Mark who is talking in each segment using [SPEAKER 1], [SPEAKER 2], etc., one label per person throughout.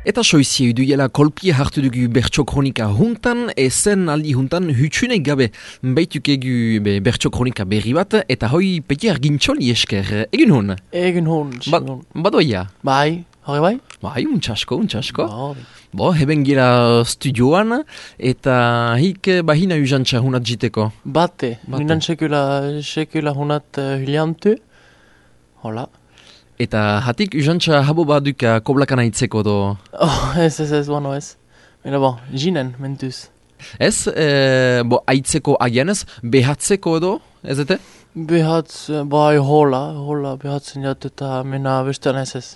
[SPEAKER 1] Eta soizie iduela kolpie hartu dugu bertso kronika juntan, ezen aldi juntan hutsunek gabe baitukegu bertso kronika berri bat, eta hoi peti argintxoli esker, egin hon?
[SPEAKER 2] Egin hon, Simon.
[SPEAKER 1] Badoia?
[SPEAKER 2] Bai, hori bai?
[SPEAKER 1] Bai, untxasko.
[SPEAKER 2] Bai.
[SPEAKER 1] Bo, heben gira studioan, eta hik bahina usantxa hunat jiteko.
[SPEAKER 2] Bate. Minan sekula hunat hiliantu. Hola.
[SPEAKER 1] Eta hatik usantxa habo baduka koblakana itzeko do?
[SPEAKER 2] Oh, ez, bueno ez. Mena bon, jinen, mentuz.
[SPEAKER 1] Ez, aitzeko agianez, behatzeko edo, ez ete?
[SPEAKER 2] Bai, hola, behatzen jat eta mena bestean ez.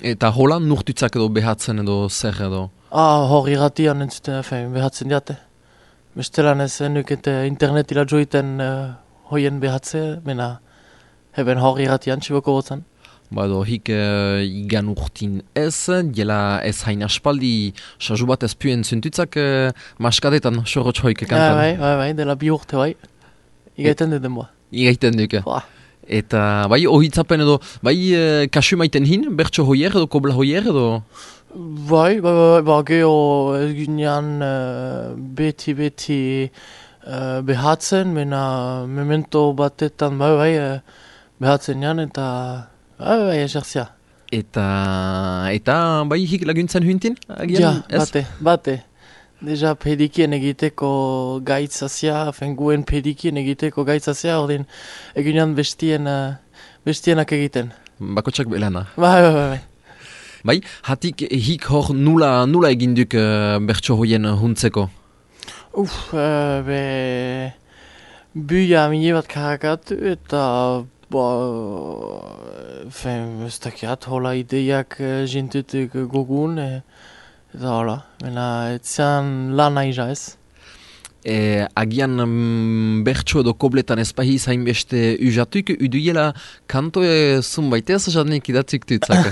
[SPEAKER 1] Eta hola nurtutzak edo behatzen edo zer edo?
[SPEAKER 2] Hor irratian entzuten, behatzen jate. Bestelan ez nukete internetila joiten hoien behatze, mena heben hor irratian txiboko botzen.
[SPEAKER 1] Bado, hik igan urtin ez, jela ez hain aspaldi sazu bat ez puen zentutzak maskadetan sorotx hoik kantan.
[SPEAKER 2] Bai, dela bi urte bai. Igaiten duden boa.
[SPEAKER 1] Igaiten duke. Eta bai, ohitzapen edo, bai kasu maiten hin, bertso hoier edo, kobla hoier edo?
[SPEAKER 2] Bai, geho ez ginean beti behatzen, mena memento batetan bai behatzen jan eta bai, eserzia.
[SPEAKER 1] Eta bai hik laguntzen huntin?
[SPEAKER 2] Ja, bate. Deja pedikien egiteko gaitzazia, guen pedikien egiteko gaitzazia, ordin egunean bestienak egiten.
[SPEAKER 1] Bakotsak belana.
[SPEAKER 2] Bai.
[SPEAKER 1] Bai, hatik hik hor nula eginduk bertso hoien huntzeko?
[SPEAKER 2] Buia mine bat karakatu eta ez dakiat, hola ideiak jintutuk gogun, eta hola, mena etzian lan aiza ez.
[SPEAKER 1] Agian bertso edo kobletan ezpahi zain beste ujatuk, uduiela kanto zunbaitez jadenik idatzik tutzak.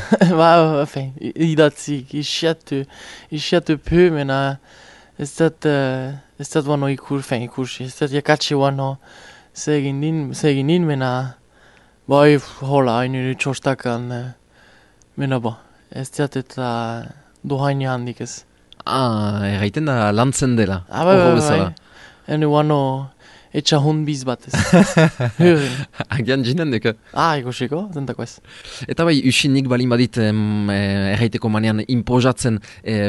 [SPEAKER 2] Idatzik, isiatu peu, mena ez dat wano ikursi, ez dat jakatsi wano zegin din, mena bai, hola, hainu txostakan, mena ez diat eta dohaini handik ez.
[SPEAKER 1] Erraiten da lantzen dela.
[SPEAKER 2] Bai. Enu wano etxa hunbiz bat ez.
[SPEAKER 1] Agian jinen duke.
[SPEAKER 2] Ikusiko, zentako ez.
[SPEAKER 1] Eta bai, usinik balin badit erraiteko manean impozatzen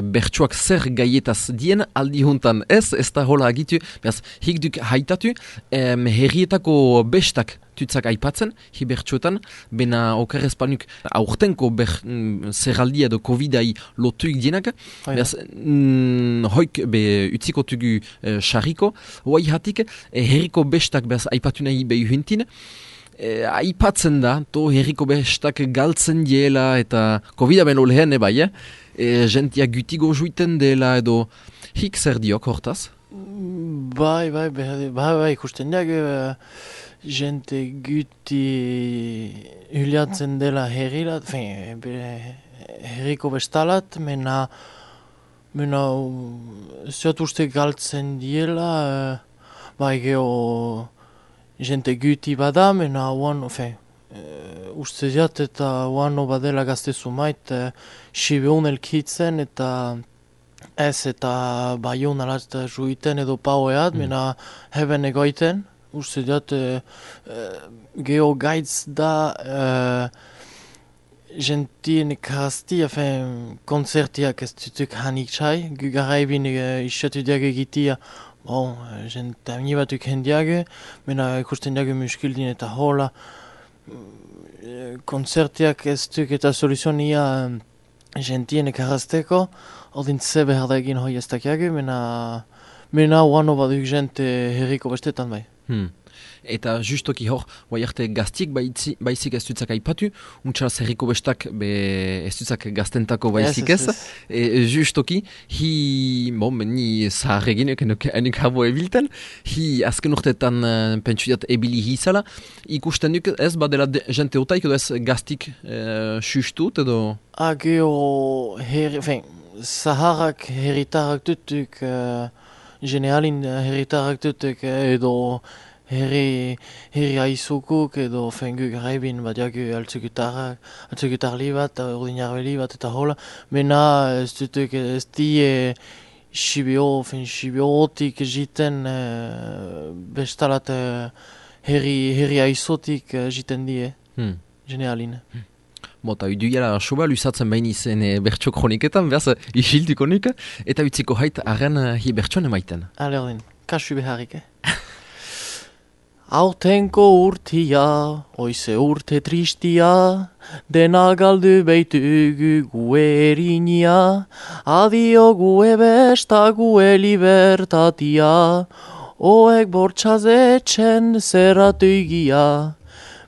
[SPEAKER 1] bertsuak zer gaietaz dien aldi juntan ez da hola agitu, behaz, hik duk haitatu, herrietako bestak tutzak aipatzen, hi bertsuetan, bena okerrezpanuk aurtenko zerraldia edo COVID-ai lotuik dienak, behaz, hoik utziko tugu xarriko, hoai hatik, herriko bestak behaz aipatu nahi behi huntin, aipatzen da, to herriko bestak galtzen diela eta COVID-a ben olehen bai, gentia gutigo juiten dela edo hik zer diok hortaz?
[SPEAKER 2] Bai, ikusten diak, gente guti huliatzen dela herrilat, herriko bestalat, mena zuat uste galtzen diela, bai geho gente guti bada, mena uste diat eta oano badela gaztezu mait, sibeun elkitzen eta ez eta baion alat juiten edo paueat, mena heben egoiten. Uste diat, geho gaitz da gentien ekaztia, konzertiak ez dutuk hanik txai, gugaraibin isatu diag egitia, gente batuk hendiag, mena ikusten diag muskildin eta hola, konzertiak ez duk eta soluzionia gentien ekarazteko, ordin ze behar da egin hoi ez dakiag, mena oano baduk gente herriko bestetan bai.
[SPEAKER 1] Eta justoki hor, guai arte gaztiek baizik ez dutzak aipatu, untxalaz herriko bestak ez dutzak gaztentako baizik ez. Justoki, ni zaharregin enik habo ebilten, azken urteetan pentsuiat ebili hizala, ikusten duk ez badela jente otaik edo ez gaztik sustut edo?
[SPEAKER 2] Geho, zaharrak herritarrak dutuk, generalin herritarrak dutuk edo herri aizukuk edo fengu garaibin bat jaku altzugutarli bat, ordinarbeli bat eta hola. Mena ez dutuk ez die Sibiotik jiten bestalat herri aizotik jiten die, generalin.
[SPEAKER 1] Bota, iduiara soba luzatzen behin izen bertso kroniketan, behaz, isiltuko nik, eta utziko hait arren hi bertsoan emaiten.
[SPEAKER 2] Ale ordin, kasu beharrik, Aurtenko urtia, oize urte tristia, dena galdu beitugu gue erinia, adio gue besta gue libertatia, oek bortxazetzen zerratu igia.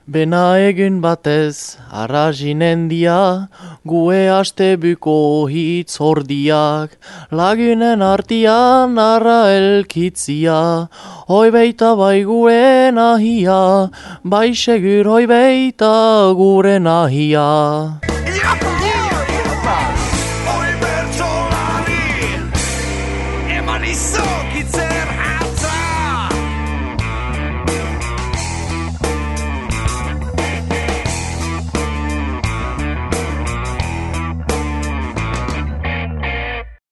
[SPEAKER 2] Bena egun batez, arrazinen dia, gue astebuko hitz hordiak, lagunen artian arra elkitzia, hoi beita bai gure nahia, bai segur hoi beita gure nahia.
[SPEAKER 3] Hoi bertsolari, eman izokitzer